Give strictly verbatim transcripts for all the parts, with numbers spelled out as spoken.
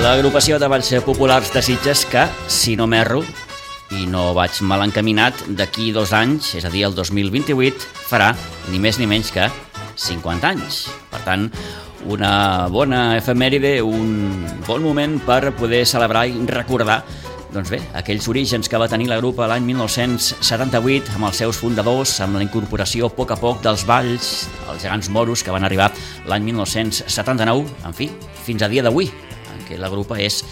L'agrupació de balls populars de Sitges que, si no m'erro i no vaig mal encaminat, d'aquí dos anys, és a dir, el dos mil vint-i-vuit, farà ni més ni menys que cinquanta anys. Per tant, una bona efemèride, un bon moment per poder celebrar i recordar doncs bé, aquells orígens que va tenir la grupa l'any mil nou-cents setanta-vuit amb els seus fundadors, amb la incorporació a poc a poc dels balls, els gegants moros que van arribar l'any mil nou-cents setanta-nou, en fi, fins a dia d'avui, en què la grupa és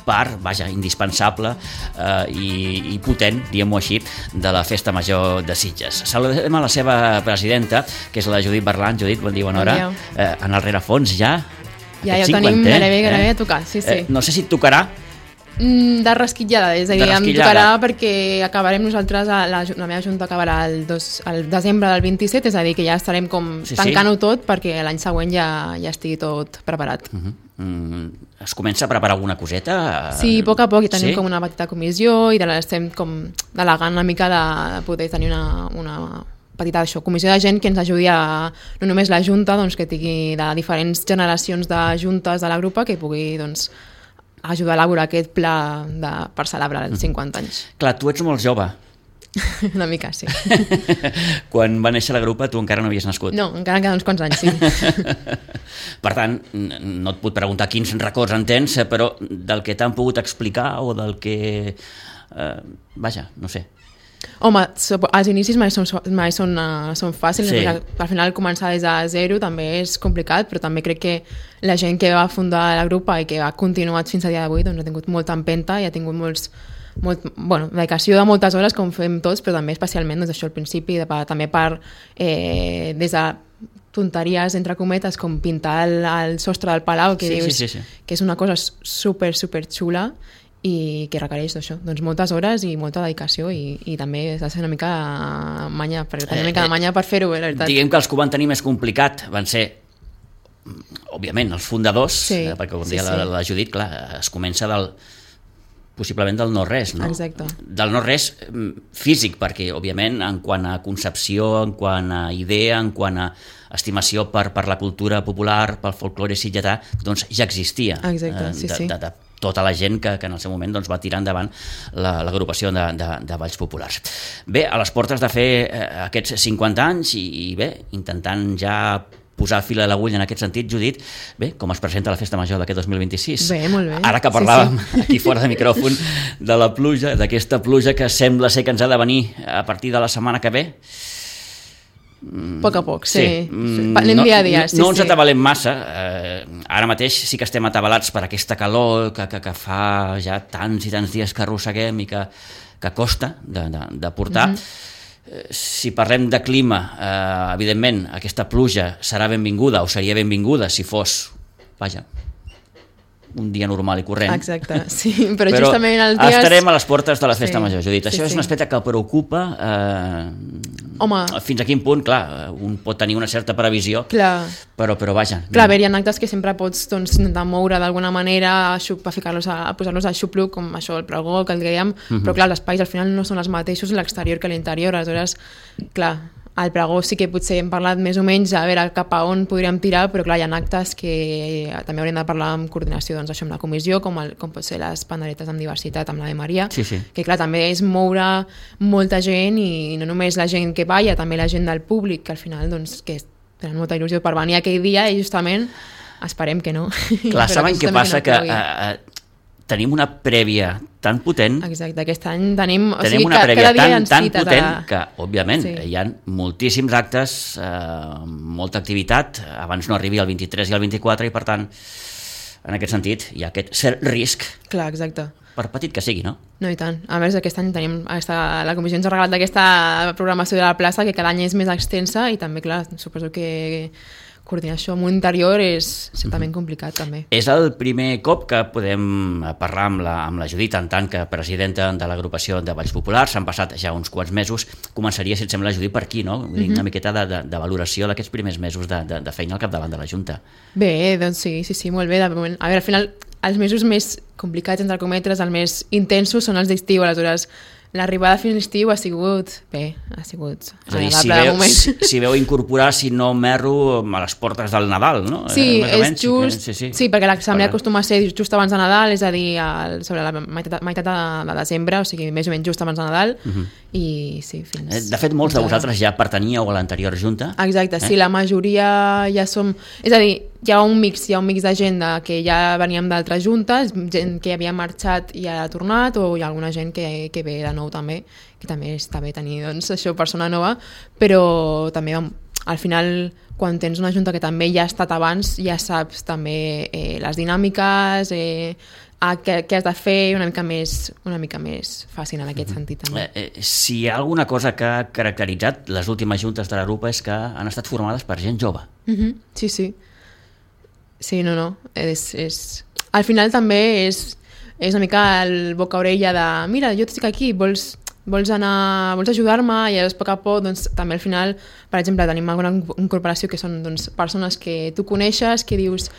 part, vaja, indispensable eh, i, i potent, diguem-ho així, de la Festa Major de Sitges. Saludem a la seva presidenta, que és la Judit Berlan. Judit, bon dia, bona hora. Eh, en el rerefons ja... Ja, ja ho tenim gairebé, gairebé a tocar, sí, sí. Eh, no sé si et tocarà. De rasquitllada, és a dir, em tocarà perquè acabarem nosaltres, la, la meva junta acabarà el, dos, el desembre del vint-i-set, és a dir, que ja estarem com sí, tancant-ho sí. tot perquè l'any següent ja, ja estigui tot preparat. Uh-huh. mm, es comença a preparar alguna coseta? Sí, a poc a poc, i tenim sí? com una petita comissió i de l'estem com delegant una mica de poder tenir una... una petita això, comissió de gent que ens ajudi a, no només la junta, doncs, que tingui de diferents generacions de juntes de la grupa que pugui doncs, ajudar a elaborar aquest pla de, per celebrar els cinquanta anys. Clar, tu ets molt jove. Una mica, sí. Quan va néixer la grupa tu encara no havies nascut. No, encara queden uns quants anys, sí. Per tant, no et puc preguntar quins records en tens, però del que t'han pogut explicar o del que... Eh, vaja, no sé. Home, els inicis mai són, mai són, uh, són fàcils, sí. Al final començar des de zero també és complicat, però també crec que la gent que va fundar la grupa i que ha continuat fins a dia d'avui doncs ha tingut molta empenta i ha tingut molts, molt, bueno, dedicació de moltes hores com fem tots, però també especialment doncs, això al principi, de, també per eh, des de tonteries entre cometes com pintar el, el sostre del palau que, sí, dius, sí, sí, sí. que és una cosa super, super xula i que requereix això, doncs moltes hores i molta dedicació i, i també s'ha de ser una mica manya, perquè tenir una mica de manya per fer-ho, la veritat. Diguem que els que ho van tenir més complicat van ser, òbviament, els fundadors, sí, eh, perquè com sí, deia sí. la, la Judit, clar, es comença del possiblement del no-res, no? Exacte. Del no-res físic, perquè, òbviament, en quant a concepció, en quant a idea, en quant a estimació per, per la cultura popular, pel folklore sitgetà, doncs ja existia. Exacte, sí, de, sí. De, de, tota la gent que, que en el seu moment doncs, va tirar endavant l'agrupació de, de, de balls populars. Bé, a les portes de fer eh, aquests cinquanta anys i, i bé, intentant ja posar fil a l'agulla en aquest sentit, Judit, bé, com es presenta la Festa Major d'aquest dos mil vint-i-sis? Bé, molt bé. Ara que parlàvem sí, sí. aquí fora de micròfon de la pluja, d'aquesta pluja que sembla ser que ens ha de venir a partir de la setmana que ve, a poc a poc, sí. sí. Anem dia a dia. No, sí, no ens sí. atabalem massa. Eh, ara mateix sí que estem atabalats per aquesta calor que, que, que fa ja tants i tants dies que arrosseguem i que, que costa de, de, de portar. Mm-hmm. Eh, si parlem de clima, eh, evidentment, aquesta pluja serà benvinguda o seria benvinguda si fos, vaja, un dia normal i corrent. Exacte, sí, però, però justament els dies... estarem a les portes de la Festa sí, Major, Judit. Això sí, és un aspecte que preocupa. Eh, Home... Fins a quin punt, clar, un pot tenir una certa previsió, clar. però, però vaja. Clar, a veure, hi ha actes que sempre pots doncs, intentar moure d'alguna manera, a, xup, a, ficar-los a, a posar-los al xupluc, com això, el pregó, que el dèiem, uh-huh. però clar, els espais al final no són els mateixos l'exterior que l'interior, aleshores, clar, al pregó sí que potser hem parlat més o menys a veure cap a on podríem tirar, però clar, hi ha actes que també hauríem de parlar amb coordinació doncs, això amb la comissió, com, el, com pot ser les panderetes amb diversitat, amb l'Ave Maria, sí, sí. que clar, també és moure molta gent i no només la gent que balla, també la gent del públic, que al final doncs, que tenen molta il·lusió per venir aquell dia i justament esperem que no. Clar, saben què passa? Que uh, tenim una prèvia tan potent. Exacte, aquest any tenim... O tenim sigui, una prèvia tan, tan potent a... que, òbviament, sí. hi ha moltíssims actes, eh, molta activitat, abans no arribi el vint-i-tres i el vint-i-quatre i, per tant, en aquest sentit, hi ha aquest cert risc. Clar, exacte. Per petit que sigui, no? No, i tant. A més, aquest any tenim aquesta, la comissió ens ha regalat d'aquesta programació de la plaça, que cada any és més extensa i també, clar, suposo que coordinar això amb un interior és certament complicat, també. És el primer cop que podem parlar amb la, amb la Judit, en tant que presidenta de l'agrupació de Balls Populars. S'han passat ja uns quants mesos. Començaria, si et sembla, Judit, per aquí, no? Mm-hmm. Una miqueta de, de, de valoració d'aquests primers mesos de, de, de feina al capdavant de la Junta. Bé, doncs sí, sí, sí, molt bé. De moment. A veure, al final, els mesos més complicats, entre cometes, els més intensos són els d'estiu, aleshores l'arribada fins a l'estiu ha sigut, bé, ha sigut és a dir, agradable si de veu, moment. si, si veu incorporar, si no m'erro, a les portes del Nadal, no? Sí, eh, és menys, just, sí, sí. sí, perquè l'assemblea Perquè- acostuma a ser just abans de Nadal, és a dir, al, sobre la meitat, meitat de, de desembre, o sigui, més o menys just abans de Nadal, Uh-huh. i sí, fins... Eh, De fet, molts de vosaltres ja pertaníeu a l'anterior junta. Exacte, sí, Eh? la majoria ja som... És a dir, hi ha un mix, hi ha un mix de gent de, que ja veníem d'altres juntes, gent que havia marxat i ha tornat, o hi ha alguna gent que, que ve de nou també, que també està bé tenir, doncs, això, persona nova, però també vam, al final, quan tens una junta que també ja ha estat abans, ja saps també eh, les dinàmiques, eh, a què, què has de fer, una mica més, una mica més fàcil en aquest sentit també. Eh, eh, si hi ha alguna cosa que ha caracteritzat les últimes juntes de la grupa és que han estat formades per gent jove. Mhm, sí, sí. Sí, no, no. És, és... Al final també és, és una mica el boca-orella de mira, jo estic aquí, vols, vols anar, vols ajudar-me? I llavors, a poc a poc, doncs, també al final, per exemple, tenim alguna incorporació que són doncs, persones que tu coneixes, que dius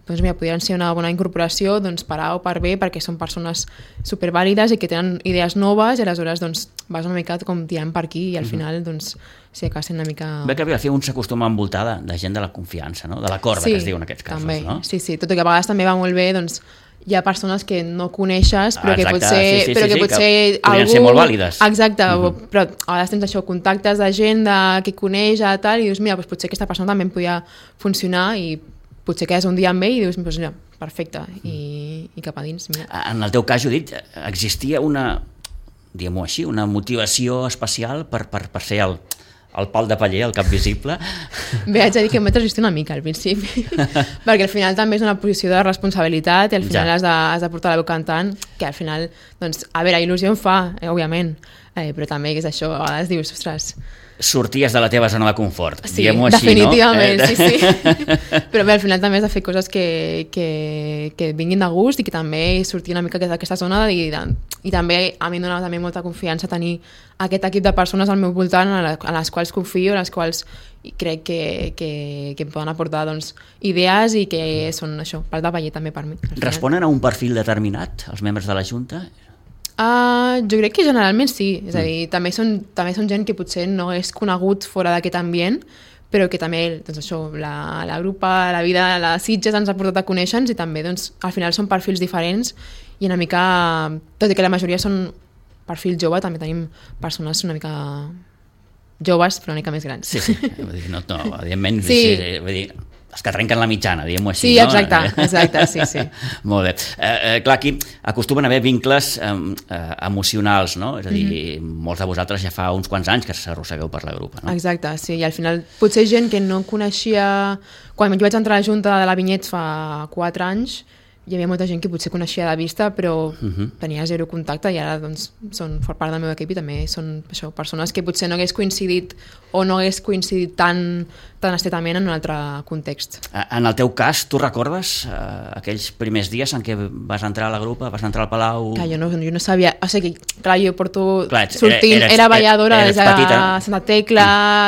doncs mira, podrien ser una bona incorporació doncs, per A o per B, perquè són persones supervàlides i que tenen idees noves i aleshores doncs, vas una mica com tirant per aquí i al final doncs, sí, acaba sent una mica... Bé que a fer un s'acostuma a envoltar de, de gent de la confiança, no? De la corda, sí, que es diu en aquests casos. També. No? Sí, sí, tot i que a vegades també va molt bé, doncs, hi ha persones que no coneixes, però Exacte, que potser, sí, sí, però sí, que sí, potser que podrien algú... ser molt vàlides. Exacte, Mhm. però a vegades tens això, contactes de gent de, que coneix a tal, i dius, mira, doncs potser aquesta persona també em podia funcionar i potser quedes un dia amb ell i dius, doncs mira, perfecte, i, i cap a dins. Mira. En el teu cas, Judit, existia una, diguem-ho així, una motivació especial per, per, per ser el, el pal de paller, el cap visible? Bé, haig de dir que em vaig resistir una mica al principi, perquè al final també és una posició de responsabilitat i al final Ja. has, de, has de portar la veu cantant, que al final, doncs, a veure, il·lusió em fa, eh, òbviament, eh, però també que és això, a vegades dius, ostres... Sorties de la teva zona de confort, Sí, diguem-ho així, definitivament, no? sí, sí. Però bé, al final també has de fer coses que, que, que et vinguin de gust i que també sortir una mica d'aquesta zona i, de, i també a mi em dona també molta confiança tenir aquest equip de persones al meu voltant a, la, a les quals confio, a les quals crec que, que, que em poden aportar doncs, idees i que són això, part de paller també per mi. al final. Responen a un perfil determinat, els membres de la Junta? Uh, jo crec que generalment sí, és a dir, també són, també són gent que potser no és conegut fora d'aquest ambient, però que també, doncs això, la, la grupa, la vida, les Sitges ens ha portat a conèixer-nos i també, doncs, al final són perfils diferents i una mica, tot i que la majoria són perfil jove, també tenim persones una mica joves, però una mica més grans. Sí, sí, vull dir, no, no, evidentment, Sí. sí, vull dir, els que trenquen la mitjana, diguem-ho així. Sí, no? exacte, exacte, sí, sí. Molt bé. Eh, eh, clar, aquí acostumen a haver vincles eh, eh, emocionals, no? És a dir, mm-hmm. molts de vosaltres ja fa uns quants anys que s'arrossegueu per la grupa, no? Exacte, sí, i al final potser gent que no coneixia... Quan jo vaig entrar a la Junta de la Vinyet fa quatre anys, hi havia molta gent que potser coneixia de vista, però Uh-huh. tenia zero contacte i ara doncs, són for part del meu equip i també són això, persones que potser no hagués coincidit o no hagués coincidit tan, tan estretament en un altre context. En el teu cas, tu recordes eh, aquells primers dies en què vas entrar a la grupa, vas entrar al Palau... Clar, jo no, jo no sabia... O sigui, clar, jo porto Clar, ets- sortint... eres- era balladora eres des de petita. Santa Tecla,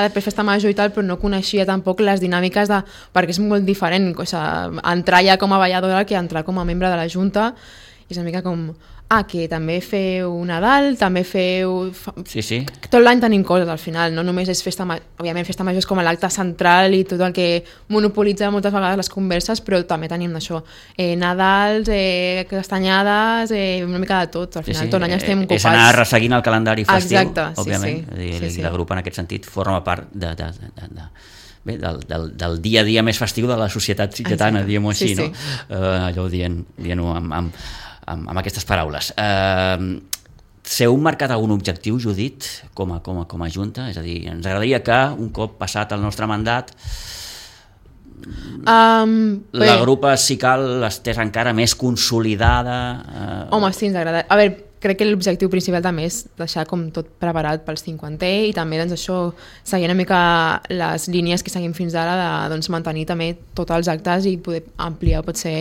després festa major i tal, però no coneixia tampoc les dinàmiques de... perquè és molt diferent, o sigui, entrar ja com a balladora que entrar com a membre de la Junta, i és una mica com... Ah, que també feu Nadal, també feu... fa- Sí, sí. Tot l'any tenim coses al final, no només és festa major, òbviament festa major és com l'acte central i tot el que monopolitza moltes vegades les converses, però també tenim això, eh, Nadals, eh, castanyades, eh, una mica de tot, al Sí, final sí. tot l'any estem Eh, ocupats. És anar resseguint el calendari festiu, Exacte, sí, òbviament. sí. És dir, Sí, i sí. la grupa en aquest sentit forma part de, de, de, de, de, bé, del, del, del dia a dia més festiu de la societat sitgetana, Exacte. diguem-ho així, Sí, no? sí. Uh, allò dient, dient-ho amb, amb, amb, amb aquestes paraules. Uh, S'heu marcat algun objectiu, Judit, com a, com, a, com a Junta? És a dir, ens agradaria que, un cop passat el nostre mandat, Um, bé, la grupa, si cal, estés encara més consolidada... Uh, Home, sí, ens agrada. A veure, crec que l'objectiu principal també és deixar com tot preparat pel cinquantè i també doncs, això, seguir una mica les línies que seguim fins ara de doncs, mantenir també tots els actes i poder ampliar potser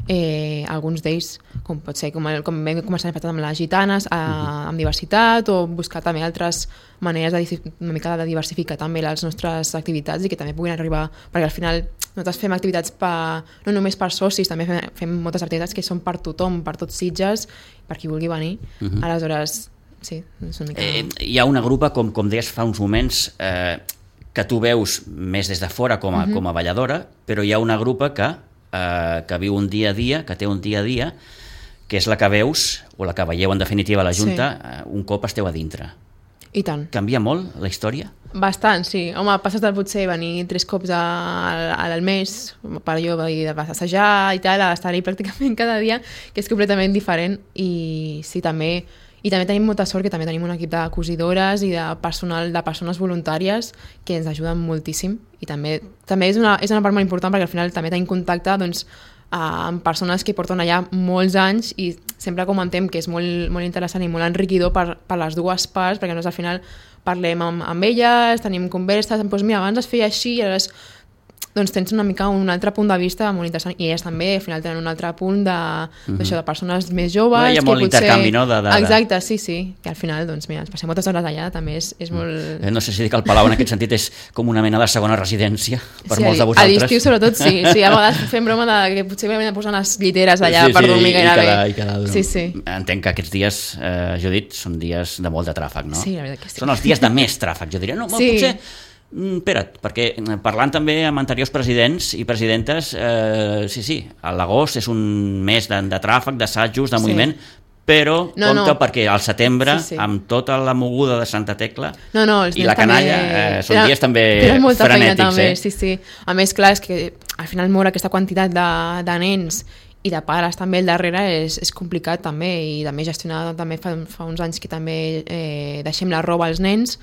eh, alguns d'ells, com pot ser com, el, com vam començar amb les gitanes, a, amb diversitat, o buscar també altres maneres de, una mica de diversificar també les nostres activitats i que també puguin arribar, perquè al final nosaltres fem activitats per, no només per socis, també fem, fem moltes activitats que són per tothom, per tots Sitges, per qui vulgui venir. Uh-huh. Aleshores, sí, és una mica... Eh, hi ha una grupa, com, com deies fa uns moments, eh, que tu veus més des de fora com a, uh-huh. com a balladora, però hi ha una grupa que, eh, que viu un dia a dia, que té un dia a dia, que és la que veus, o la que veieu en definitiva a la Junta, sí. eh, un cop esteu a dintre. I tant. Canvia molt la història? Bastant, sí. Home, passes del potser venir tres cops al, al mes, per allò de passejar i tal, a estar-hi pràcticament cada dia, que és completament diferent, i sí, també... I també tenim molta sort que també tenim un equip de cosidores i de personal de persones voluntàries que ens ajuden moltíssim, i també també és una, és una part molt important perquè al final també tenim contacte doncs, amb persones que porten allà molts anys i sempre comentem que és molt, molt interessant i molt enriquidor per, per les dues parts, perquè nosaltres al final parlem amb, amb elles, tenim converses, doncs mira, abans es feia així i ara és... doncs tens una mica un altre punt de vista molt interessant, i elles també al final tenen un altre punt de, mm-hmm. d'això, de persones més joves. Hi ha molt potser... intercanvi, no? De, de, de... Exacte, sí, sí, que al final doncs mira, ens passem moltes hores allà, també és, és molt... No sé si dic que el Palau en aquest sentit és com una mena de segona residència per sí, molts de vosaltres. A l'estiu sobretot sí, sí, a vegades fem broma de que potser m'he de posar les lliteres allà sí, sí, per dormir gairebé. I cada, i cada... sí, sí. Entenc que aquests dies, eh, Judit, són dies de molt de tràfic, no? Sí, la veritat que sí. Són els dies de més tràfic, jo diria. No, sí. Potser... Espera't, perquè parlant també amb anteriors presidents i presidentes, eh, sí, sí, l'agost és un mes de, de tràfic, d'assajos, de moviment, sí. Però no, compte no. perquè al setembre, sí, sí. amb tota la moguda de Santa Tecla no, no, i la canalla, també... eh, són dies també molta frenètics. També, eh? sí, sí. A més, clar, és que al final moure aquesta quantitat de, de nens i de pares també al darrere és, és complicat també, i també gestionar també fa, fa uns anys que també eh, deixem la roba als nens,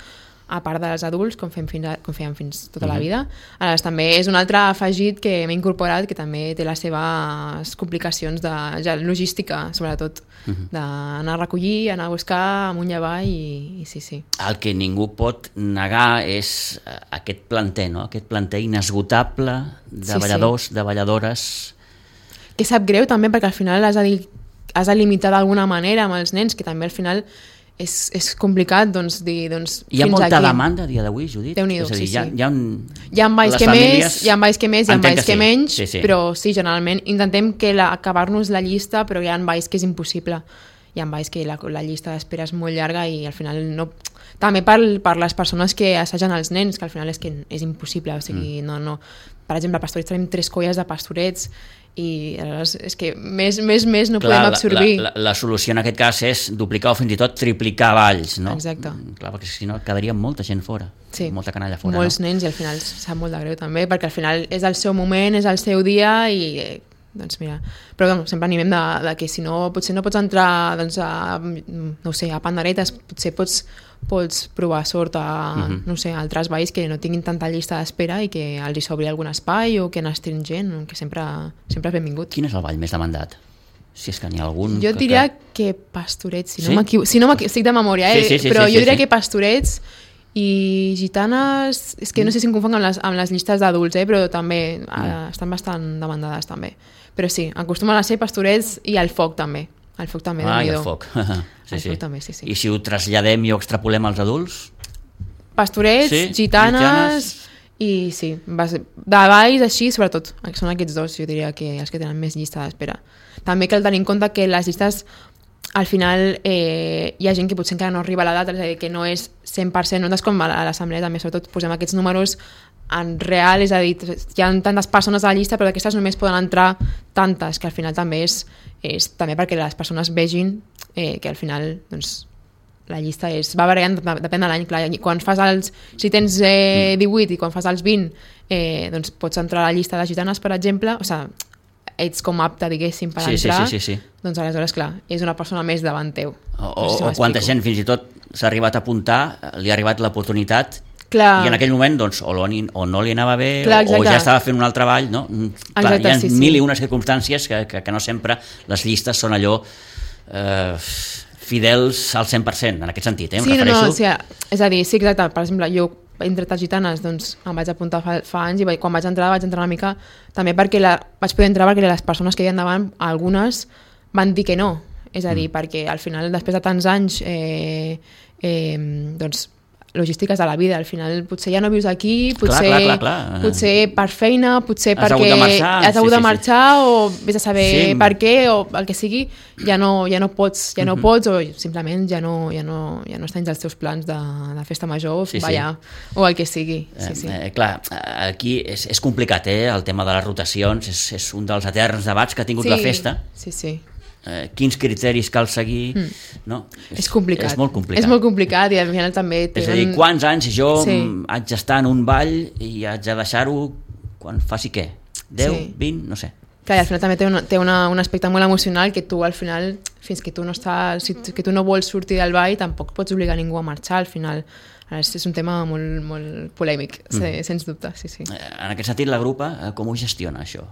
a part dels adults, com fem, fins a, com fèiem fins tota mm-hmm. la vida. Aleshores, també és un altre afegit que m'he incorporat, que també té les seves complicacions de ja, logística, sobretot, mm-hmm. d'anar a recollir, anar a buscar, amunt i avall, i, i sí, sí. El que ningú pot negar és aquest planter, no? Aquest planter inesgotable de sí, balladors, sí. de balladores... Que sap greu també, perquè al final has de, dir, has de limitar d'alguna manera amb els nens, que també al final... És, és complicat, doncs, dir, doncs, hi ha fins molta aquí. Demanda a dia d'avui, Judit? Déu-n'hi-do, és a dir, sí, hi ha, sí. Hi ha, un... hi ha balls que famílies... més, hi ha balls que més, hi ha balls que, que menys, sí. Sí, sí. Però sí, generalment intentem que la, acabar-nos la llista, però hi ha balls que és impossible. Hi ha balls que la, la llista d'espera és molt llarga i al final no... També per, per les persones que assagen els nens, que al final és que és impossible, o sigui, mm. no, no... Per exemple, a Pastorets tenim tres colles de pastorets i és que més, més, més no clar, podem absorbir. La, la, la solució en aquest cas és duplicar o fins i tot triplicar balls, no? Exacte. Clar, perquè si no quedaria molta gent fora, sí. molta canalla fora. Molts no? nens, i al final sap molt de greu també, perquè al final és el seu moment, és el seu dia i... doncs mira, però doncs, sempre animem de, de que si no, potser no pots entrar doncs, a, no sé, a panderetes, potser pots, pots provar sort a, uh-huh. no sé, a altres balls que no tinguin tanta llista d'espera i que els hi s'obri algun espai o que n'estrin gent, que sempre, sempre és benvingut. Quin és el ball més demandat? Si és que n'hi ha algun... Jo que, diria que, que Pastorets, si sí? no m'equivoco, si no m'equivoco, estic de memòria, eh? sí, sí, sí, però sí, jo sí, diria sí. que Pastorets i Gitanes, és que no sé si em confonc amb les, amb les llistes d'adults, eh? Però també mm. eh, estan bastant demandades també. Però sí, acostumen a ser Pastorets i el foc també. El foc també, ah, i el Déu-n'hi-do. foc. sí, el sí. foc també, sí, sí. I si ho traslladem i ho extrapolem als adults? Pastorets, sí? gitanes, Gitanes i sí, de balls així, sobretot, són aquests dos, jo diria que els que tenen més llista d'espera. També cal tenir en compte que les llistes, al final, eh, hi ha gent que potser encara no arriba a l'edat, és a dir, que no és cent per cent, nosaltres com a l'assemblea també, sobretot, posem aquests números en real, és a dir, hi ha tantes persones a la llista, però d'aquestes només poden entrar tantes, que al final també és, és també perquè les persones vegin eh, que al final, doncs, la llista és, va variant, depèn de l'any, clar, quan fas els, si tens eh, divuit i quan fas els vint, eh, doncs pots entrar a la llista de gitanes, per exemple, o sigui, ets com apte, diguéssim, per sí, entrar, sí, sí, sí, sí. Doncs aleshores, clar, és una persona més davant teu. O, o, no si o quanta gent fins i tot s'ha arribat a apuntar, li ha arribat l'oportunitat, clar. I en aquell moment doncs, o, o no li anava bé, clar, o, o ja estava fent un altre ball, no? Clar, exacte, hi ha sí, mil sí. i unes circumstàncies que, que, que no sempre les llistes són allò eh, fidels al cent per cent, en aquest sentit, eh? Em sí, refereixo... no, no, o sigui, és a dir, sí, exacte, per exemple, jo he entrat a Gitanes, doncs em vaig apuntar fa, fa anys i vaig, quan vaig entrar vaig entrar una mica també perquè la, vaig poder entrar perquè les persones que hi havia davant, algunes van dir que no, és a dir, mm. perquè al final després de tants anys eh, eh, doncs logístiques de la vida. Al final potser ja no vius aquí, potser, clar, clar, clar, clar. potser per feina, potser has perquè hagut de marxar, has hagut sí, de sí, marxar sí. o vés a saber Sí. per què o el que sigui, ja no, ja no pots, ja no Mhm. pots o simplement ja no, ja no, ja no està dins els teus plans de, de festa major, Sí, sí. ballar o el que sigui. Sí, sí. Eh, eh, clar, aquí és, és complicat, eh? El tema de les rotacions és, és un dels eterns debats que ha tingut sí, la festa. Sí, sí. Eh, quins criteris cal seguir, Mm. no? És complicat. És molt complicat. És molt complicat i al final també... És a dir, quants anys jo Sí. sí. haig d'estar en un ball i haig de deixar-ho quan faci què? deu, Sí. vint, no sé. Clar, i al final també té, una, té una, un aspecte molt emocional que tu al final, fins que tu no estàs, si, que tu no vols sortir del ball, tampoc pots obligar ningú a marxar al final. És, és un tema molt, molt polèmic, mm. sens dubte, sí, sí. En aquest sentit, la grupa, eh, com ho gestiona, això?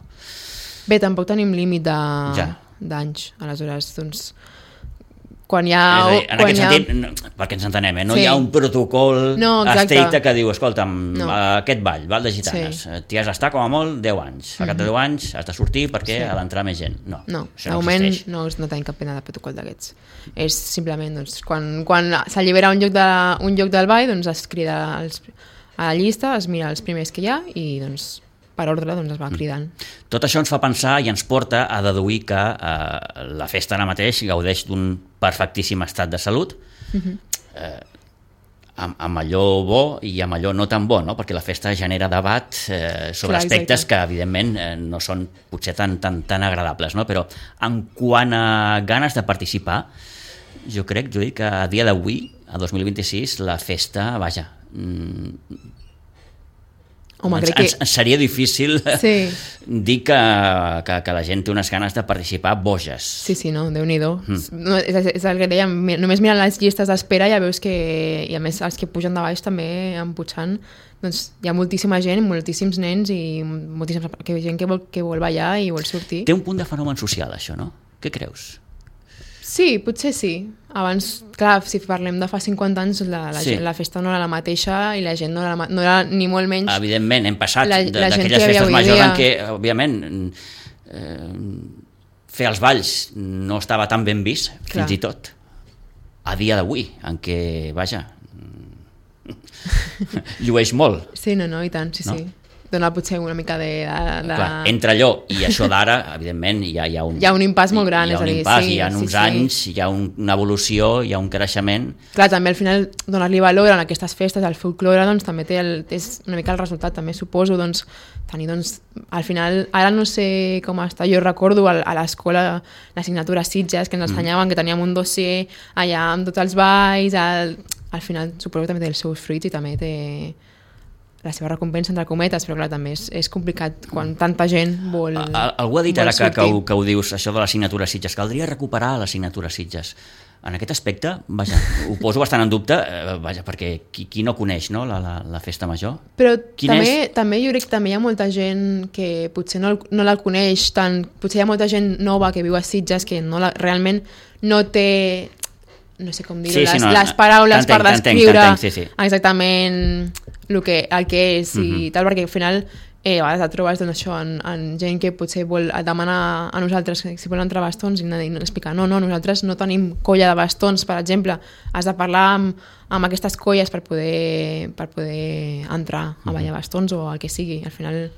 Bé, tampoc tenim límit de, Ja. d'anys, aleshores, doncs, quan hi ha... És a dir, en quan aquest hi ha... sentit, no, perquè ens entenem, eh? no Sí. hi ha un protocol No, exacte. estricte que diu, escolta'm, No. aquest ball, ball de gitanes, Sí. eh, t'hi has d'estar com a molt deu anys. Al cap de deu anys has de sortir perquè Sí. ha d'entrar més gent. No, No, això de no moment existeix. no, no tenim cap pena de protocol d'aquests. És simplement, doncs, quan, quan s'allibera un, lloc de, un lloc del ball, doncs es crida els, a la llista, es mira els primers que hi ha i, doncs, per ordre, doncs, es va cridant. Tot això ens fa pensar i ens porta a deduir que eh, la festa ara mateix gaudeix d'un perfectíssim estat de salut, Uh-huh. eh, amb, amb allò bo i amb allò no tan bo, no? Perquè la festa genera debat eh, sobre Clar, aspectes exacte. que, evidentment, eh, no són potser tan, tan, tan agradables, no? Però en quant a ganes de participar, jo crec, Judit, que a dia d'avui, a dos mil vint-i-sis, la festa, vaja, mm, Home, ens, crec que... ens, ens seria difícil Sí. dir que, que, que la gent té unes ganes de participar boges. Sí, sí, no, Déu-n'hi-do. Mm. No, és, és el que dèiem, mi- només mirant les llistes d'espera ja veus que, i a més els que pugen de baix també empujant, doncs hi ha moltíssima gent, moltíssims nens i moltíssima que, gent que vol, que vol ballar i vol sortir. Té un punt de fenomen social, això, no? Què creus? Sí, potser sí. Abans, clar, si parlem de fa cinquanta anys, la, la, Sí. gent, la festa no era la mateixa i la gent no era, la ma- no era ni molt menys... Evidentment, hem passat La- de- la gent d'aquelles que hi havia festes avui majors dia. en què, òbviament, eh, fer els balls no estava tan ben vist, Clar. fins i tot. A dia d'avui, en què, vaja, llueix molt. Sí, no, no, i tant, sí, No? sí. Dona potser una mica de... de, de... Clar, entre allò i això d'ara, evidentment, hi ha, hi ha un... Hi ha un impàs molt gran, hi ha és a un dir, impàs, sí, hi ha sí, uns sí. anys, hi ha un, una evolució, hi ha un creixement. Clar, també al final donar-li valor a aquestes festes, al folklore, doncs també té el, és una mica el resultat, també suposo, doncs, tenir, doncs, al final, ara no sé com està, jo recordo a, a l'escola l'assignatura Sitges, que ens ensenyaven que teníem un dossier allà amb tots els balls, al, al final suposo que també té els seus fruits i també té la seva recompensa entre cometes, però clar, també és, és complicat quan tanta gent vol A- Algú ha dit vol ara que, que, ho, sortir. que ho dius, això de l'assignatura Sitges, caldria recuperar l'assignatura Sitges. En aquest aspecte, vaja, ho poso bastant en dubte, eh, vaja, perquè qui, qui no coneix, no, la, la, la festa major? Però Quin també, és? també jo crec que també hi ha molta gent que potser no, el- no la coneix tant, potser hi ha molta gent nova que viu a Sitges que no la, realment no té, no sé com dir-ho, Sí, sí, les, no, les paraules t'entenc, per t'entenc, descriure t'entenc, sí, sí. exactament el que, el que és i Mhm. tal, perquè al final eh, a vegades et trobes doncs, això, en, en gent que potser vol demanar a nosaltres que si volen entrar bastons i, i no explicar, no, no, nosaltres no tenim colla de bastons, per exemple, has de parlar amb, amb aquestes colles per poder, per poder entrar a ballar bastons o el que sigui. Al final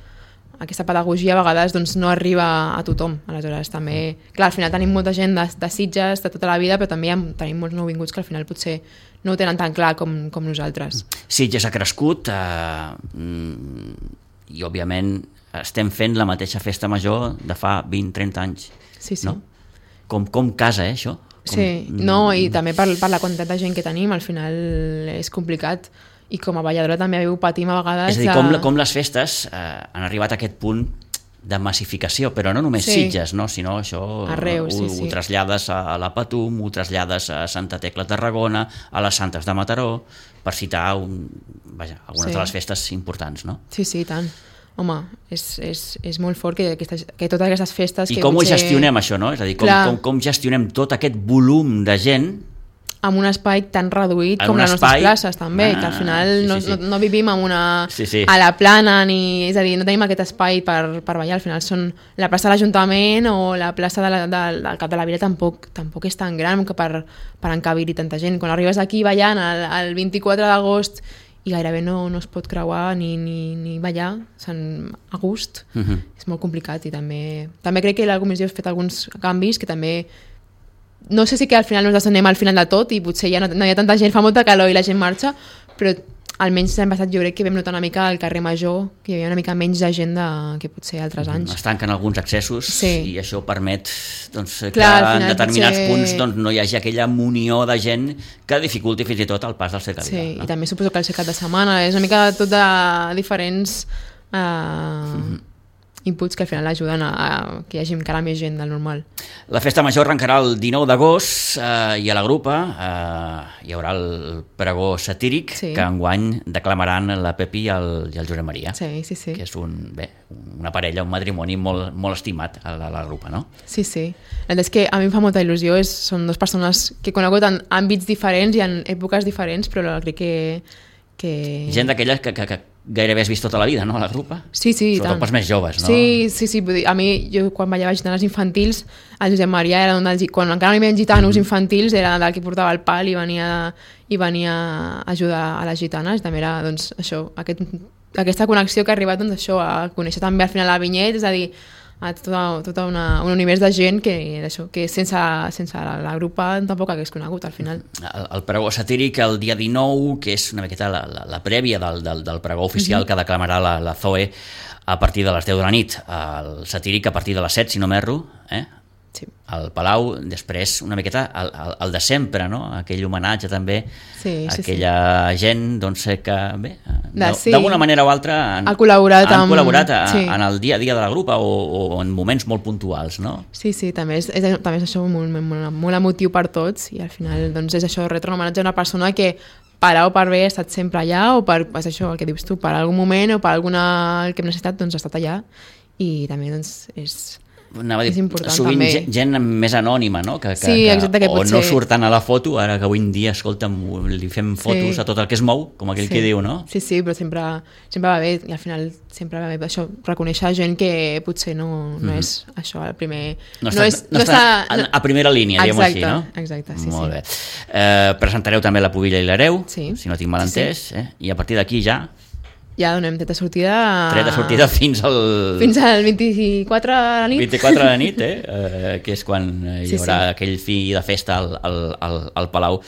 aquesta pedagogia a vegades doncs, no arriba a tothom, aleshores també, clar, al final tenim molta gent de, de Sitges de tota la vida, però també hi ha, tenim molts nouvinguts que al final potser no ho tenen tan clar com, com nosaltres. Sitges ha crescut eh, mm, i, òbviament, estem fent la mateixa festa major de fa vint trenta anys. Sí, sí. No? Com, com casa, eh, això? Com, Sí, no, i també per, per la quantitat de gent que tenim, al final és complicat. I com a balladora també ho patim a vegades. És a dir, de- com, com les festes eh, han arribat a aquest punt de massificació, però no només Sí. Sitges, no? Sinó això Arreu, sí, ho, sí. ho trasllades a la Patum, ho trasllades a Santa Tecla Tarragona, a les Santes de Mataró, per citar un, vaja, algunes Sí. de les festes importants, no? Sí, sí, i tant. Home, és, és, és molt fort que, aquestes, que totes aquestes festes... I que com potser... ho gestionem, això, no? És a dir, com, Clar. com, com gestionem tot aquest volum de gent amb un espai tan reduït en com les espai... nostres places també, ah, que al final sí, no, sí, sí. No, no vivim en una, sí, sí. a la plana, ni, és a dir, no tenim aquest espai per, per ballar, al final són la plaça de l'Ajuntament o la plaça de la, de, del Cap de la Vila tampoc, tampoc és tan gran que per, per encabir-hi tanta gent. Quan arribes aquí ballant el, el vint-i-quatre d'agost i gairebé no, no es pot creuar ni, ni, ni ballar a gust, uh-huh. és molt complicat i també, també crec que la comissió ha fet alguns canvis que també no sé si que al final ens anem al final de tot i potser ja no, no hi ha tanta gent, fa molta calor i la gent marxa, però almenys l'any passat jo crec que vam notar una mica al carrer Major que hi havia una mica menys de gent de, que potser altres anys. Es tanquen alguns accessos sí. i això permet doncs, que Clar, en determinats potser... punts doncs, no hi hagi aquella munió de gent que dificulti fins i tot el pas del cercavila. Sí, no? I també suposo que el cap de setmana és una mica tot de diferents eh, mm-hmm. inputs que al final ajuden a, a que hi hagi encara més gent del normal. La festa major arrencarà el dinou d'agost eh, i a la grupa eh, hi haurà el pregó satíric sí. que enguany declamaran la Pepi i el, i el Josep Maria, sí, sí, sí. que és un, bé, una parella, un matrimoni molt, molt estimat a la, a la grupa, no? Sí, sí. La veritat és que a mi em fa molta il·lusió, és, són dues persones que he conegut en àmbits diferents i en èpoques diferents, però crec que... que... Gent d'aquelles que, que, que gairebé has vist tota la vida, no?, a la grupa. Sí, sí, sobretot pels més joves, no? Sí, sí, sí. Vull dir, a mi, jo quan ballava gitanes infantils, el Josep Maria era un dels... Quan encara no hi havia gitanos mm-hmm. infantils, era del que portava el pal i venia, i venia a ajudar a les gitanes. També era, doncs, això, aquest, aquesta connexió que ha arribat, doncs, això, a conèixer també al final la Vinyet, és a dir, a tota, tota una, un univers de gent que, això, que sense, sense la, la grupa tampoc hagués conegut al final. El, el pregó satíric el dia dinou, que és una miqueta la, la, la prèvia del, del, del pregó oficial mm-hmm. que declamarà la, la Zoe a partir de les deu de la nit. El satíric a partir de les set, si no m'erro, eh? Sí. Al Palau, després una miqueta el, el, el de sempre, no? Aquell homenatge també sí, sí, a aquella sí. gent doncs, que bé, sí. d'alguna manera o altra han, ha col·laborat, han amb... col·laborat a, sí. en el dia a dia de la grupa o, o en moments molt puntuals, no? Sí, sí, també és, és, també és això molt, molt, molt emotiu per tots i al final doncs, és això, retre un homenatge a una persona que per A o per B ha estat sempre allà o per, és això, el que dius tu, per algun moment o per alguna el que hem necessitat, doncs ha estat allà i també doncs és... Anava a dir, és important, sovint també. gent, gent més anònima, no? Que, que, sí, exacte, que o potser... no surten a la foto, ara que avui en dia, escolta'm, li fem fotos sí. a tot el que es mou, com aquell sí. que diu, no? Sí, sí, però sempre, sempre va bé, i al final sempre va bé això, reconèixer gent que potser no, no mm-hmm. és això, el primer... No està, no és, no està, està no... a primera línia, diguem-ho així, no? Exacte, sí, Molt sí. bé. Eh, presentareu també la Pubilla i l'Hereu, sí. si no tinc mal entès, sí, sí. Eh? I a partir d'aquí ja... Ja donem tret de sortida... Tret de sortida fins al... Fins al vint-i-quatre de la nit. vint-i-quatre de la nit, eh? eh que és quan hi sí, haurà sí. aquell fi de festa al, al, al, al Palau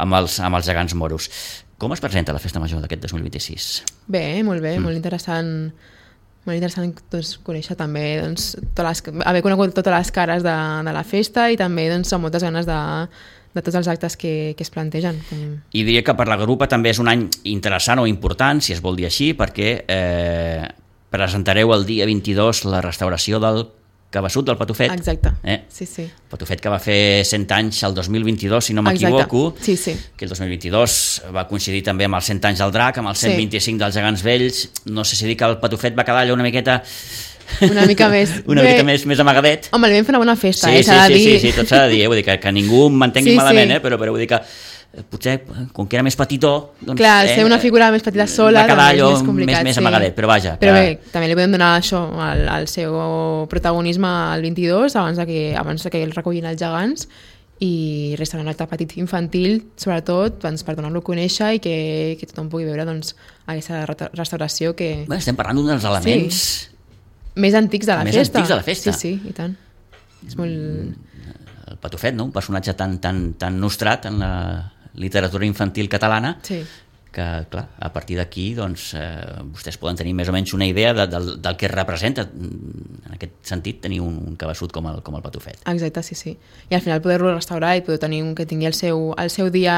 amb els, amb els gegants moros. Com es presenta la festa major d'aquest dos mil vint-i-sis? Bé, molt bé, mm. molt interessant... Molt interessant doncs, conèixer també doncs, totes les, haver conegut totes les cares de, de la festa i també doncs, amb moltes ganes de, de tots els actes que, que es plantegen. I diria que per la grupa també és un any interessant o important, si es vol dir així, perquè eh, presentareu el dia vint-i-dos la restauració del Cabeçut del Patufet. Exacte, eh? sí, sí. Patufet que va fer cent anys el dos mil vint-i-dos, si no m'equivoco, sí, sí. que el dos mil vint-i-dos va coincidir també amb els cent anys del Drac, amb els cent vint-i-cinc sí. dels Gegants Vells. No sé si dir que el Patufet va quedar allò una miqueta... Una mica més. una Bé, mica més, més amagadet. Home, li vam fer una bona festa, sí, eh? Sí, s'ha de sí, dir. sí, sí, tot s'ha de dir, eh? Vull dir que, que ningú m'entengui sí, malament, sí. eh? però, però vull dir que potser, com que era més petitó... Doncs, clar, eh, ser una figura més petita sola va quedar allò és més complicat. Més, més sí. amagadet, però vaja. Però que... bé, també li podem donar això, el, el seu protagonisme al vint-i-dos, abans de que, abans de que el recullin els gegants, i resta un acte petit infantil, sobretot, doncs, per donar-lo a conèixer i que, que tothom pugui veure doncs, aquesta restauració que... Bé, estem parlant d'un dels elements... Sí. Més antics de la més festa. Més antics de la festa. Sí, sí, i tant. És molt... El Patufet, no? Un personatge tan, tan, tan nostrat en la literatura infantil catalana, sí. que, clar, a partir d'aquí doncs, eh, vostès poden tenir més o menys una idea de, del, del que representa, en aquest sentit, tenir un, un cabeçut com el, com el Patufet. Exacte, sí, sí. I al final poder-lo restaurar i poder tenir un que tingui el seu, el seu dia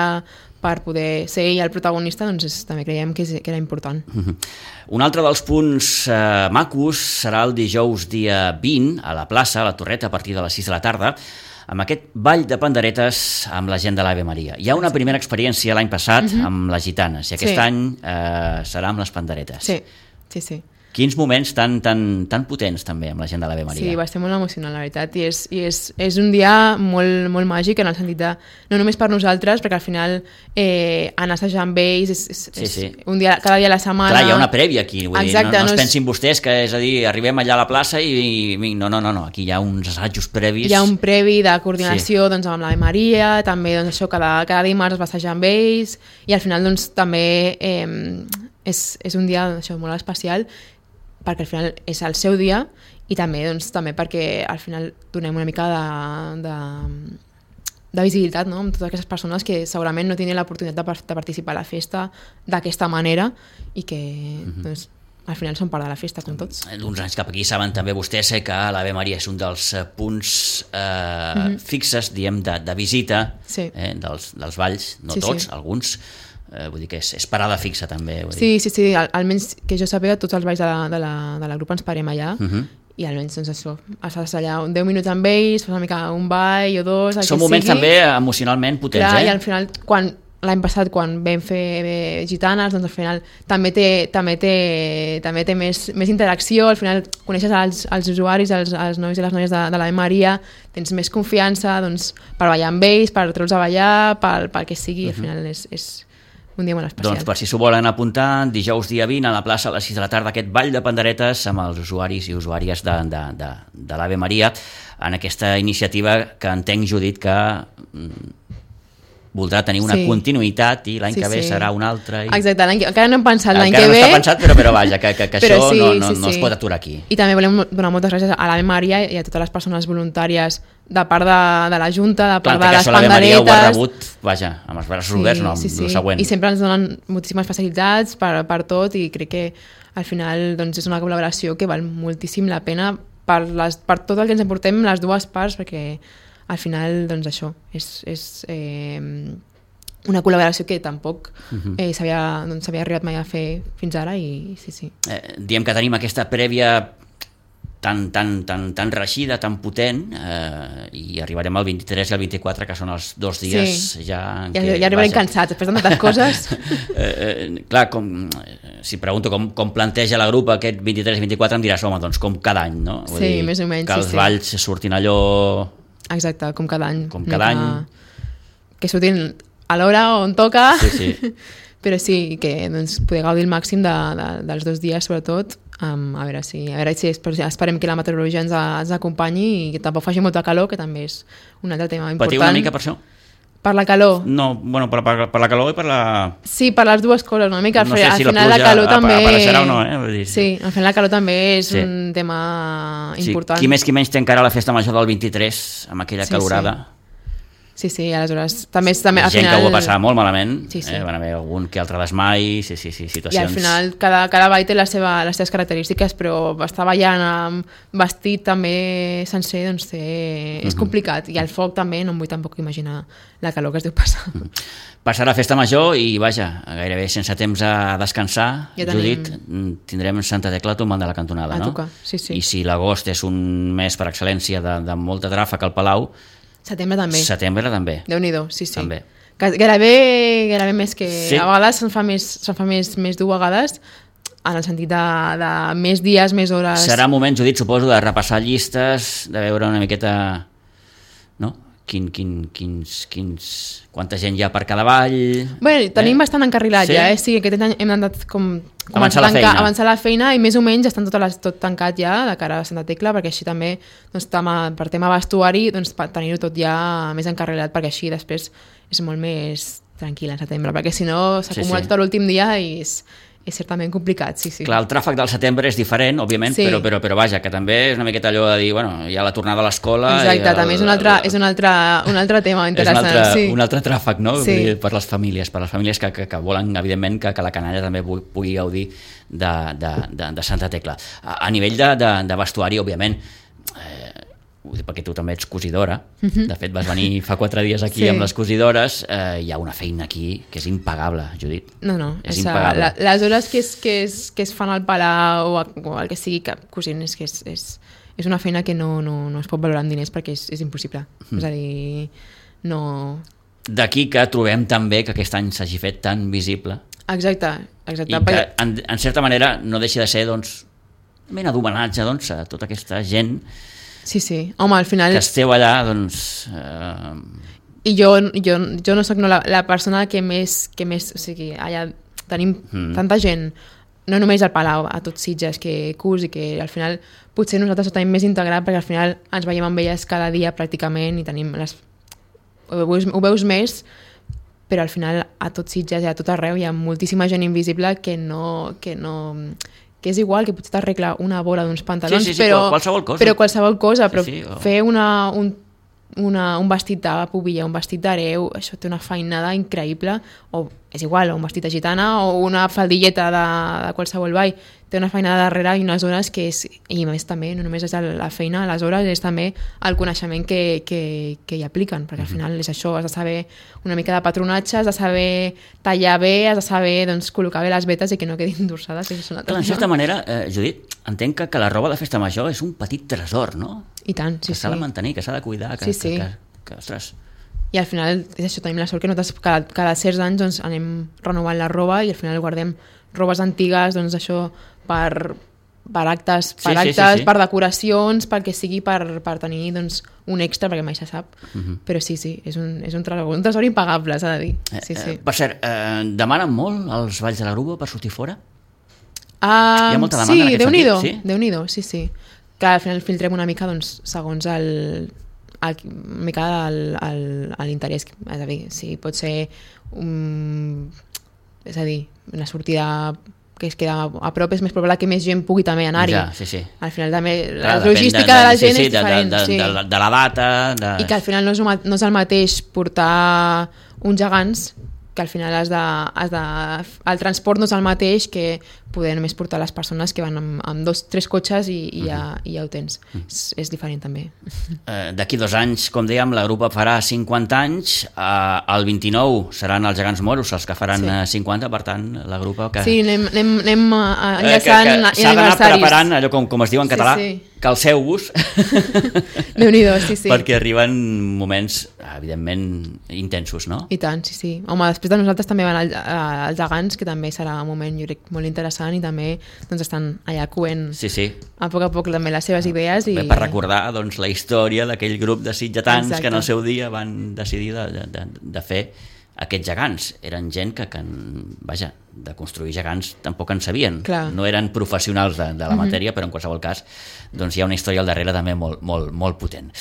per poder ser ell el protagonista, doncs és, també creiem que, és, que era important. Mm-hmm. Un altre dels punts eh, macos serà el dijous dia vint, a la plaça, a la Torreta, a partir de les sis de la tarda, amb aquest ball de panderetes amb la gent de l'Ave Maria. Hi ha una primera experiència l'any passat mm-hmm. amb les gitanes, i aquest sí. any eh, serà amb les panderetes. Sí, sí, sí. Quins moments tan, tan, tan potents també amb la gent de l'Ave Maria. Sí, va ser molt emocionant, la veritat, i és, i és, és un dia molt, molt màgic en el sentit de, no només per nosaltres, perquè al final eh, anar a assajar amb ells és, és, sí, sí. és un dia, cada dia a la setmana. Clar, hi ha una prèvia aquí, vull Exacte, dir, no, no, no es és... pensin vostès que, és a dir, arribem allà a la plaça i, i no, no, no, no, aquí hi ha uns assajos previs. Hi ha un previ de coordinació sí. doncs, amb l'Ave Maria, també doncs, això, cada, cada dimarts es va assajar amb ells, i al final doncs, també eh, és, és un dia això, molt especial, perquè al final és el seu dia i també, doncs, també perquè al final donem una mica de, de, de visibilitat, no?, amb totes aquestes persones que segurament no tenen l'oportunitat de, de participar a la festa d'aquesta manera i que mm-hmm. doncs, al final són part de la festa, com tots. D'uns anys cap aquí saben també vostès que l'Ave Maria és un dels punts eh, mm-hmm. fixes, diem, de, de visita sí. eh, dels, dels valls, no sí, tots, sí. alguns. Eh, vull dir que és, és parada fixa també. Vull sí, dir. sí, sí, Al, almenys que jo sàpiga tots els balls de la, de la, de la grup ens parem allà uh-huh. i almenys doncs això, estàs allà deu minuts amb ells, fas una mica un ball o dos, el són que moments sigui. També emocionalment potents. Clar, eh? I al final quan l'any passat quan vam fer eh, gitanes, doncs al final també té, també té, també té més, més interacció, al final coneixes els, els usuaris, els, els nois i les noies de, de l'Ave Maria, tens més confiança doncs, per ballar amb ells, per treure'ls a ballar, pel, pel que sigui, uh-huh. al final és, és un dia molt especial. Doncs per si s'ho volen apuntar, dijous dia vint a la plaça a les sis de la tarda aquest ball de panderetes amb els usuaris i usuàries de, de, de, de l'Ave Maria en aquesta iniciativa que entenc, Judit, que voldrà tenir una sí. continuïtat i l'any sí, que ve sí. serà una altra. I... Exacte, l'any que... encara no hem pensat l'any que no ve. Encara no està pensat, però, però vaja, que, que, que això sí, no, no, sí, no sí. es pot aturar aquí. I també volem donar moltes gràcies a l'Ave Maria i a totes les persones voluntàries de part de, de la Junta, de part Clar, de les panderetes. L'Ave Maria ho ha rebut, vaja, amb els braços sí, oberts, no, sí, sí. el següent. I sempre ens donen moltíssimes facilitats per, per tot i crec que al final doncs, és una col·laboració que val moltíssim la pena per, les, per tot el que ens emportem les dues parts, perquè al final doncs això és... és eh, una col·laboració que tampoc uh-huh. eh, s'havia doncs, arribat mai a fer fins ara i sí, sí. Eh, diem que tenim aquesta prèvia tan, tan, tan, tan reixida, tan potent eh, i arribarem al vint-i-tres i al vint-i-quatre, que són els dos dies sí. ja... En ja, què, ja arribarem cansats, després de tantes coses. eh, eh, clar, com, si pregunto com, com planteja la grup aquest vint-i-tres i vint-i-quatre, em diràs, home, doncs com cada any, no? Vull sí, dir, més o menys. Que els sí, balls sí. surtin allò... Exacte, com cada any. Com cada any. Que, que surtin a l'hora on toca, sí, sí. però sí, que doncs, poder gaudir el màxim de, de, dels dos dies, sobretot, um, a veure si, a veure si esperem que la meteorologia ens, ens acompanyi i que tampoc faci molta calor, que també és un altre tema important. Patiu una mica per això? Per la calor? No, bueno, per, per, per la calor i per la... Sí, per les dues coses, una mica. No sé al si final la, la calor també... apareixerà o no, eh? Vull dir, sí, al final la calor també és sí. un tema important. Sí. Qui més qui menys té encara la festa major del vint-i-tres, amb aquella sí, calorada. Sí. Sí, sí, aleshores també és també al gent final... que ho va passar molt malament, sí, sí. Eh, van haver algun que altre desmai, sí, sí, sí, situacions... I al final cada, cada ball té la seva, les seves característiques, però estar ballant amb vestit també sencer, doncs té, és uh-huh. complicat. I el foc també, no em vull tampoc imaginar la calor que es deu passar. Uh-huh. Passarà festa major i, vaja, gairebé sense temps a descansar, ja tenim... Judit, tindrem Santa Tecla tombant de la cantonada, a no? tocar, sí, sí. I si l'agost és un mes per excel·lència de, de molta tràfic al Palau, setembre també. Setembre també. Déu-n'hi-do, sí, sí. També. Gairebé, gairebé més que... Sí. A vegades se'n fa més, se'n fa més, més dur a vegades, en el sentit de, de més dies, més hores... Serà moment, Judit, suposo, de repassar llistes, de veure una miqueta... No? Quin, quin, quins, quins, quanta gent hi ha per cada ball... Bé, tenim eh? bastant encarrilat sí? ja, eh? Sí, aquest any hem anat com... Avançar la, tancar, avançar la feina i més o menys estan tot, les, tot tancat ja de cara a Santa Tecla, perquè així també doncs, tema, per tema vestuari doncs, tenir-ho tot ja més encarrilat, perquè així després és molt més tranquil en setembre, perquè si no s'acumula sí, sí. tot l'últim dia i és, és certament complicat, sí, sí. Clar, el tràfic del setembre és diferent, òbviament, sí. però, però, però vaja, que també és una miqueta allò de dir, bueno, hi ha la tornada a l'escola... Exacte, el, també és un altre, és un altre, un altre tema interessant. És un altre, sí. un altre tràfic, no? Sí. Per les famílies, per les famílies que, que, que volen, evidentment, que, que la canalla també pugui gaudir de, de, de, de Santa Tecla. A, a nivell de, de, de vestuari, òbviament, eh, perquè tu també ets cosidora, uh-huh. de fet vas venir fa quatre dies aquí sí. amb les cosidores, eh, hi ha una feina aquí que és impagable, Judit. No, no, és esa, impagable. La, les hores que es, que, es, que es fan al palau o, o el que sigui que cosint és que és, és, és una feina que no, no, no es pot valorar en diners perquè és, és impossible. Mm. És a dir, no... D'aquí que trobem també que aquest any s'hagi fet tan visible. Exacte, exacte. I que, en, en certa manera, no deixa de ser, doncs, mena d'homenatge, doncs, a tota aquesta gent sí, sí. Home, al final... que esteu allà, doncs... Eh... I jo, jo, jo no soc no, la, la persona que més, que més... O sigui, allà tenim mm. tanta gent, no només al Palau, a tots Sitges, que curs i que al final potser nosaltres ho tenim més integrat perquè al final ens veiem amb elles cada dia pràcticament i tenim les... Ho veus, ho veus més, però al final a tots Sitges i a tot arreu hi ha moltíssima gent invisible que no... Que no que és igual, que potser t'arregla una bola d'uns pantalons, sí, sí, sí, però, qualsevol cosa. però qualsevol cosa, però sí, sí, oh. fer una, un, una, un vestit de pubilla, un vestit d'hereu, això té una feinada increïble, o és igual, o un vestit de gitana, o una faldilleta de, de qualsevol ball, té una feinada darrere i unes hores que és, i a més també, no només és la feina, les hores, és també el coneixement que, que, que hi apliquen, perquè al final és això, has de saber una mica de patronatge, has de saber tallar bé, has de saber doncs, col·locar bé les vetes i que no quedin dorsades. Clar, en certa manera, eh, Judit, entenc que, que la roba de festa major és un petit tresor, no? I tant, sí, que s'ha sí. de mantenir, que s'ha de cuidar, que, sí, sí. que, que, que, ostres... I al final, és això, tenim la sort que nosaltres cada, cada certs anys doncs, anem renovant la roba i al final guardem robes antigues, doncs això, per, per actes, per, sí, actes, sí, sí, sí. per decoracions, pel que sigui per, per tenir doncs, un extra, perquè mai se sap. Uh -huh. Però sí, sí, és un, és un tresor, un tresor impagable, s'ha de dir. Sí, sí. Eh, per cert, eh, demanen molt els balls de la Grupa per sortir fora? Uh, Hi ha molta demanda sí, en aquest Déu-n'hi-do, sentit? Sí? Déu-n'hi-do, sí, sí. Que al final filtrem una mica doncs, segons el... El, una mica l'interès, és a dir, si pot ser un, és a dir, una sortida que es queda a prop, és més probable que més gent pugui també anar-hi. Ja, sí, sí. Al final també Clar, la logística de, de, de la gent sí, sí, és diferent. De, de, sí. de, de, de la data... De... I que al final no és, no és el mateix portar uns gegants que al final has de, has de, el transport no és el mateix que poder només portar les persones que van amb, amb dos, tres cotxes i, i, ja, uh-huh. i ja ho tens. Uh-huh. és, és diferent també. Eh, D'aquí dos anys, com dèiem, la Grupa farà cinquanta anys, eh, el vint-i-nou seran els gegants moros els que faran sí. cinquanta, per tant, la Grupa... Que... Sí, anem, anem, anem enllaçant eh, que, que s'ha d'anar preparant, allò com, com es diu en català, sí, sí. calceu-vos, Déu-n'hi-do, sí, sí. perquè arriben moments, evidentment, intensos, no? I tant, sí, sí. Home, després de nosaltres també van els gegants, que també serà un moment, jo crec, molt interessant, i també doncs, estan allà coent sí, sí. a poc a poc també les seves idees. I... Bé, per recordar doncs, la història d'aquell grup de sitgetans Exacte. que en el seu dia van decidir de, de, de fer aquests gegants. Eren gent que, que, vaja, de construir gegants tampoc en sabien. Clar. No eren professionals de, de la matèria, mm-hmm. però en qualsevol cas doncs, hi ha una història al darrere també molt, molt, molt potent.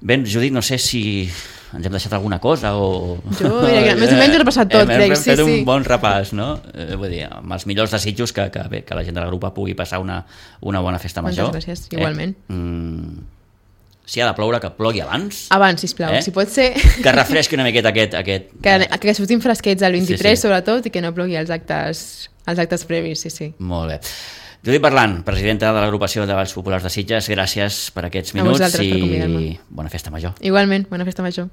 Bé, Judit, no sé si ens hem deixat alguna cosa o... Jo diria que més o menys ho he passat tot, hem, crec, hem sí, fet sí. un bon repàs, no? Eh, vull dir, amb els millors desitjos que, que, bé, que la gent de la Grupa pugui passar una, una bona festa major. Moltes gràcies, igualment. Eh? Mm, si ha de ploure, que plogui abans. Abans, sisplau, eh? si pot ser... Que refresqui una miqueta aquest... aquest... Que, que sortim fresquets el vint-i-tres, sí, sí. sobretot, i que no plogui els actes, els actes previs, sí, sí. Molt bé. Judit Berlan, presidenta de l'agrupació de Balls Populars de Sitges, gràcies per aquests minuts i bona festa major. Igualment, bona festa major.